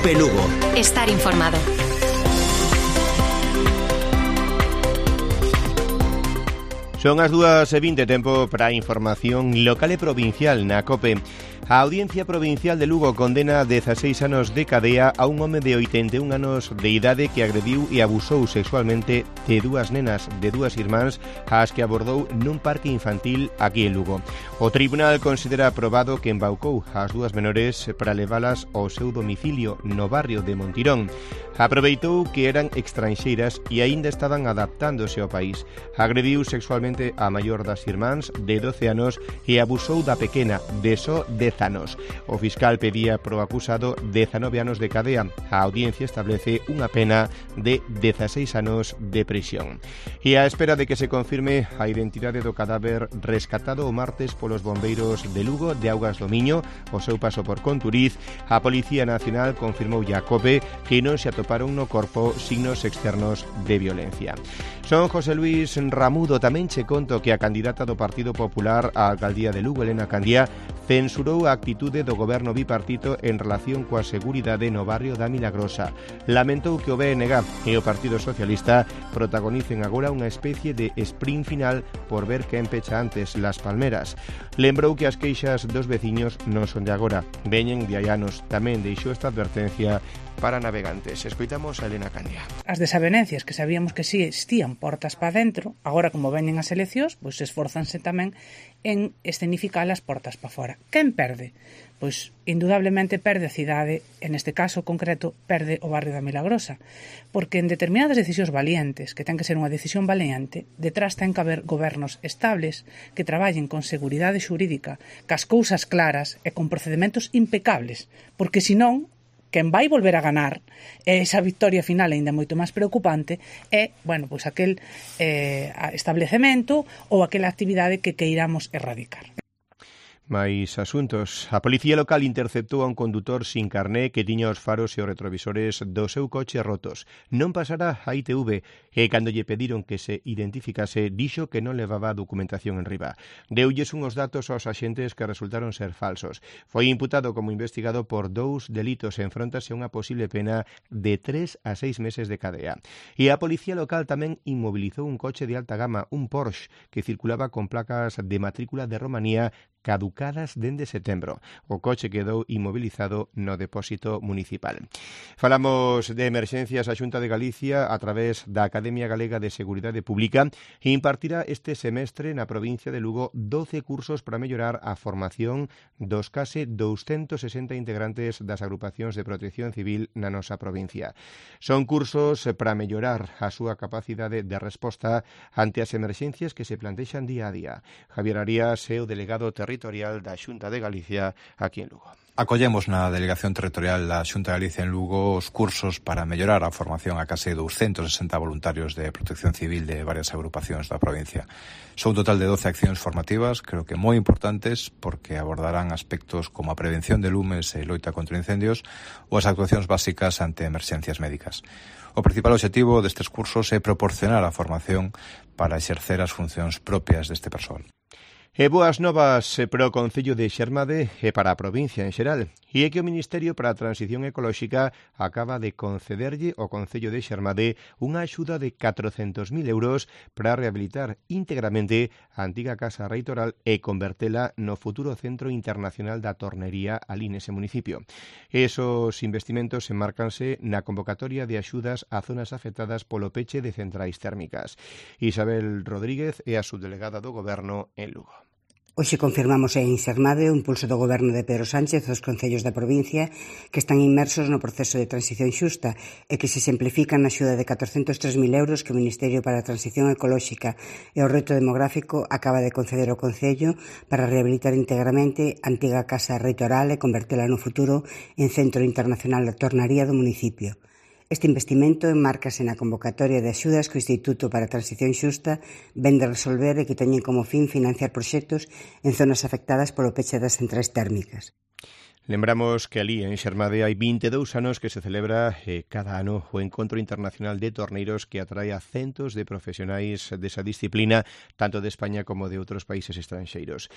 Cope Lugo. Estar informado. Son as 2:20, tempo para a información local e provincial na COPE. A Audiencia Provincial de Lugo condena 16 anos de cadea a un home de 81 anos de idade que agrediu e abusou sexualmente de dúas nenas de dúas irmáns ás que abordou nun parque infantil aquí en Lugo. O tribunal considera aprobado que embaucou as dúas menores para levalas ao seu domicilio no barrio de Montirón. Aproveitou que eran extranxeiras e aínda estaban adaptándose ao país. Agrediu sexualmente a maior das irmáns de 12 anos e abusou da pequena de só 10 anos. O fiscal pedía pro acusado 19 anos de cadea. A audiencia establece unha pena de 16 anos de prisión. E á espera de que se confirme a identidade do cadáver rescatado o martes polos bombeiros de Lugo de Augas do Miño, o seu paso por Conturiz, a Policía Nacional confirmou a COPE que non se atoparon no corpo signos externos de violencia. Son José Luis Ramudo. Tamén che conto que a candidata do Partido Popular á alcaldía de Lugo, Elena Candía, censurou a actitude do goberno bipartito en relación coa seguridade no barrio da Milagrosa. Lamentou que o BNG e o Partido Socialista protagonicen agora unha especie de sprint final por ver quen pecha antes Las Palmeras. Lembrou que as queixas dos veciños non son de agora, veñen de hai anos. Tamén deixou esta advertencia para navegantes. Escoitamos a Elena Candía. As desavenencias que sabíamos que si existían portas para dentro, agora como veñen as eleccións, pois esforzanse tamén en escenificar as portas para fora. Quen perde? Pois indudablemente perde a cidade, en este caso concreto perde o barrio da Milagrosa, porque en determinadas decisións valientes, que ten que ser unha decisión valiente, detrás ten que haber gobernos estables que traballen con seguridade xurídica, cas cousas claras e con procedimentos impecables, porque senón quen vai volver a ganar esa victoria final aínda moito máis preocupante é, bueno, pois aquel establecemento ou aquela actividade que queiramos erradicar. Mais asuntos. A Policía Local interceptou a un condutor sin carné que tiña os faros e os retrovisores do seu coche rotos. Non pasará a ITV e cando lle pediron que se identificase, dixo que non levaba documentación en riba. Deulles unhos datos aos axentes que resultaron ser falsos. Foi imputado como investigado por 2 delitos e enfrontase a unha posible pena de 3 a 6 meses de cadea. E a Policía Local tamén inmobilizou un coche de alta gama, un Porsche, que circulaba con placas de matrícula de Romanía caducadas dende setembro. O coche quedou inmobilizado no depósito municipal. Falamos de emerxencias. A Xunta de Galicia, a través da Academia Galega de Seguridade Pública, impartirá este semestre na provincia de Lugo 12 cursos para mellorar a formación dos case 260 integrantes das agrupacións de protección civil na nosa provincia. Son cursos para mellorar a súa capacidade de resposta ante as emerxencias que se plantexan día a día. Javier Arias é o delegado territorial da Xunta de Galicia aquí en Lugo. Acollemos na Delegación Territorial da Xunta de Galicia en Lugo os cursos para mellorar a formación a case 260 voluntarios de protección civil de varias agrupacións da provincia. Son un total de 12 accións formativas, creo que moi importantes, porque abordarán aspectos como a prevención de lumes e loita contra incendios ou as actuacións básicas ante emerxencias médicas. O principal obxectivo destes cursos é proporcionar a formación para exercer as funcións propias deste persoal. E boas novas para o Concello de Xermade e para a provincia en xeral. E é que o Ministerio para a Transición Ecolóxica acaba de concederlle ao Concello de Xermade unha axuda de 400.000 euros para rehabilitar íntegramente a antiga Casa Reitoral e convertela no futuro Centro Internacional da Tornería ali nese municipio. Esos investimentos enmárcanse na convocatoria de axudas a zonas afectadas polo peche de centrais térmicas. Isabel Rodríguez é a subdelegada do Goberno en Lugo. Hoxe confirmamos en Xermade un pulso do Goberno de Pedro Sánchez aos concellos da provincia que están inmersos no proceso de transición xusta e que se simplifican na axuda de 403.000 euros que o Ministerio para a Transición Ecolóxica e o Reto Demográfico acaba de conceder ao Concello para rehabilitar íntegramente a antiga Casa Reitoral e convertela no futuro en Centro Internacional da Tornaría do municipio. Este investimento enmárcase na convocatoria de axudas que o Instituto para a Transición Xusta ven de resolver e que teñen como fin financiar proxectos en zonas afectadas polo peche das centrais térmicas. Lembramos que alí en Xermade hai 22 anos que se celebra cada ano o Encontro Internacional de Torneiros que atrae a centos de profesionais desa disciplina, tanto de España como de outros países estranxeiros.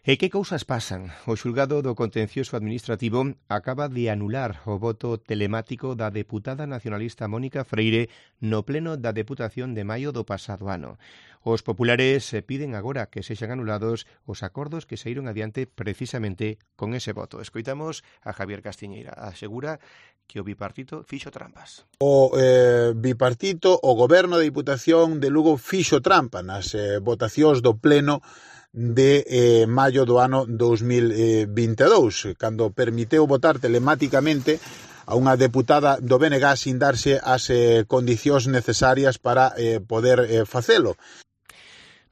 E que cousas pasan? O xulgado do Contencioso Administrativo acaba de anular o voto telemático da deputada nacionalista Mónica Freire no pleno da Deputación de maio do pasado ano. Os populares piden agora que sexan anulados os acordos que saíron adiante precisamente con ese voto. Escoitamos a Javier Castiñeira. Asegura que o bipartito fixo trampas. O bipartito, o Goberno da Diputación de Lugo fixo trampa nas votacións do pleno de maio do ano 2022, cando permiteu votar telemáticamente a unha deputada do BNG sin darse as condicións necesarias para poder facelo.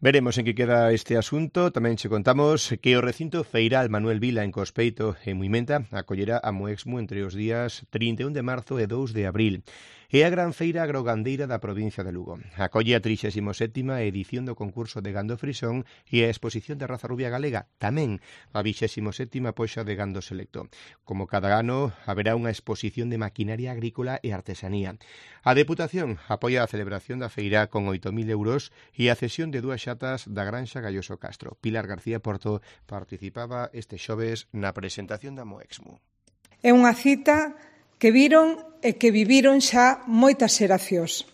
Veremos en que queda este asunto. Tamén che contamos que o recinto feiral Manuel Vila en Cospeito e Muimenta acollera a Moexmo entre os días 31 de marzo e 2 de abril. É a gran feira agrogandeira da provincia de Lugo. Acolle a 37ª edición do concurso de gando frisón e a exposición de raza rubia galega, tamén a 27ª poxa de gando selecto. Como cada ano, haberá unha exposición de maquinaria agrícola e artesanía. A Deputación apoia a celebración da feira con 8.000 euros e a cesión de 2 xatas da Granxa Galloso Castro. Pilar García Porto participaba este xoves na presentación da Moexmo. É unha cita que viron e que viviron xa moitas xeracións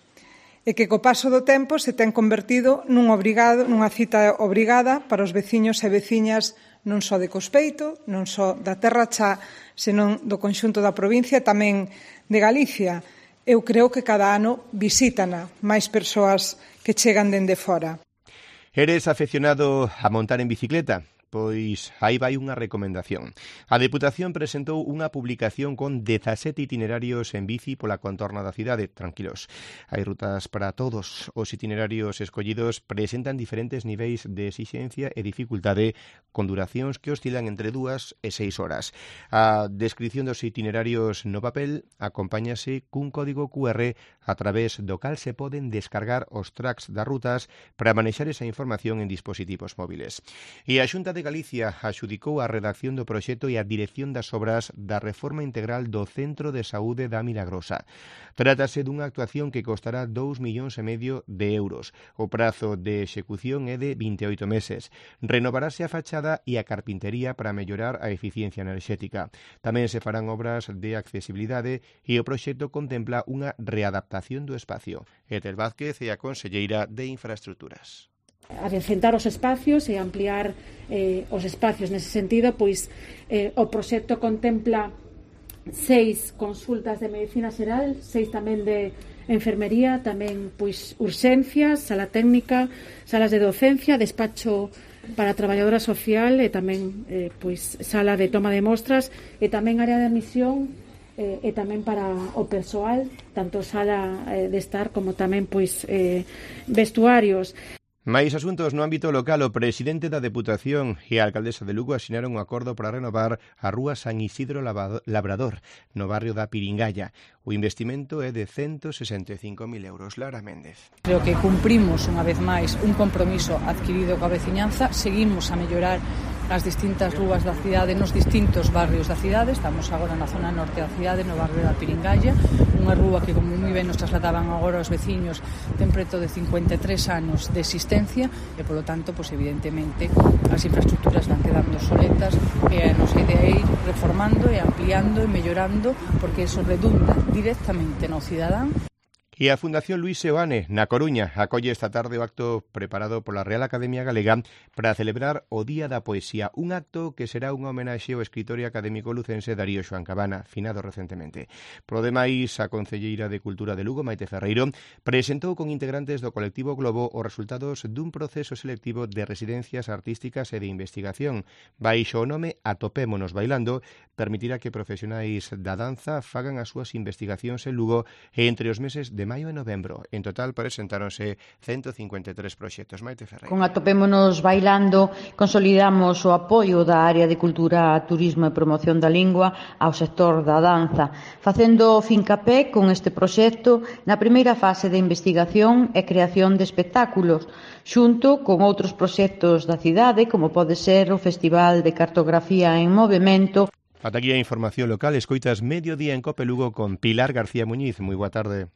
e que co paso do tempo se ten convertido nunha cita obrigada para os veciños e veciñas non só de Cospeito, non só da Terra Chá, senón do conxunto da provincia e tamén de Galicia. Eu creo que cada ano visítana máis persoas que chegan dende fora. Eres afeccionado a montar en bicicleta? Pois aí vai unha recomendación. A Deputación presentou unha publicación con 17 itinerarios en bici pola contorna da cidade. Tranquilos, hai rutas para todos. Os itinerarios escollidos presentan diferentes niveis de exixencia e dificultade con duracións que oscilan entre 2 e 6 horas. A descripción dos itinerarios no papel acompáñase cun código QR a través do cal se poden descargar os tracks das rutas para manexar esa información en dispositivos móviles. E a Xunta de Galicia axudicou a redacción do proxecto e a dirección das obras da reforma integral do Centro de Saúde da Milagrosa. Trátase dunha actuación que costará 2,5 millóns de euros. O prazo de execución é de 28 meses. Renovarase a fachada e a carpintería para mellorar a eficiencia enerxética. Tamén se farán obras de accesibilidade e o proxecto contempla unha readaptación do espacio. Etel Vázquez é a conselleira de Infraestructuras. Adecentar os espacios e ampliar os espacios nese sentido, pois o proxecto contempla 6 consultas de medicina xeral, 6 tamén de enfermería, tamén pois urxencias, sala técnica, salas de docencia, despacho para a traballadora social e tamén pois sala de toma de mostras e tamén área de admisión e tamén para o persoal, tanto sala de estar como tamén pois vestuarios. Mais asuntos no ámbito local, o presidente da Deputación e a alcaldesa de Lugo asinaron un acordo para renovar a rúa San Isidro Labrador, no barrio da Piringalla. O investimento é de 165.000 euros. Lara Méndez. Creo que cumprimos unha vez máis un compromiso adquirido coa veciñanza, seguimos a mellorar as distintas rúas da cidade nos distintos barrios da cidade. Estamos agora na zona norte da cidade, no barrio da Piringalla, unha rúa que, como moi ben nos trasladaban agora os veciños, ten preto de 53 anos de existencia e, polo tanto, pois, evidentemente, as infraestructuras van quedando soletas e a nosa idea é ir reformando e ampliando e mellorando, porque eso redunda directamente no cidadán. E a Fundación Luis Seoane, na Coruña, acolle esta tarde o acto preparado pola Real Academia Galega para celebrar o Día da Poesía, un acto que será unha homenaxe ao escritor e académico lucense Darío Xoán Cabana, finado recentemente. Por demais, a concelleira de Cultura de Lugo, Maite Ferreiro, presentou con integrantes do colectivo Globo os resultados dun proceso selectivo de residencias artísticas e de investigación. Baixo o nome Atopémonos Bailando, permitirá que profesionais da danza fagan as súas investigacións en Lugo entre os meses de maio e novembro. En total presentáronse 153 proxectos. Maite Ferreira. Con Atopémonos Bailando consolidamos o apoio da área de cultura, turismo e promoción da lingua ao sector da danza, facendo fincapé con este proxecto na primeira fase de investigación e creación de espectáculos, xunto con outros proxectos da cidade, como pode ser o Festival de Cartografía en Movemento. Ata aquí a información local. Escoitas Mediodía en Cope Lugo con Pilar García Muñiz. Moi boa tarde.